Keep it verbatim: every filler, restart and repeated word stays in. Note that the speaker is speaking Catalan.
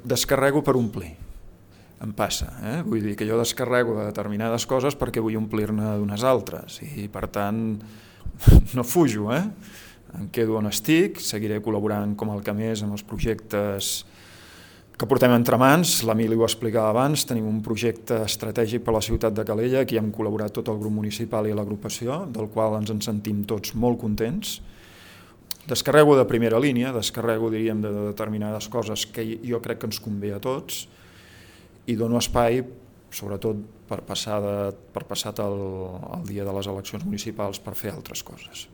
descarrego per omplir. Em passa, eh? Vull dir que jo descarrego de determinades coses perquè vull omplir-ne d'unes altres i per tant no fujo, eh? Em quedo on estic, seguiré col·laborant com el que més amb els projectes que portem entre mans. L'Emili ho explicava abans, tenim un projecte estratègic per a la ciutat de Calella, aquí hem col·laborat tot el grup municipal i l'agrupació, del qual ens en sentim tots molt contents. Descarrego de primera línia, descarrego, diríem, de determinades coses que jo crec que ens convé a tots i dono espai, sobretot per passar, de, per passat el, el dia de les eleccions municipals, per fer altres coses.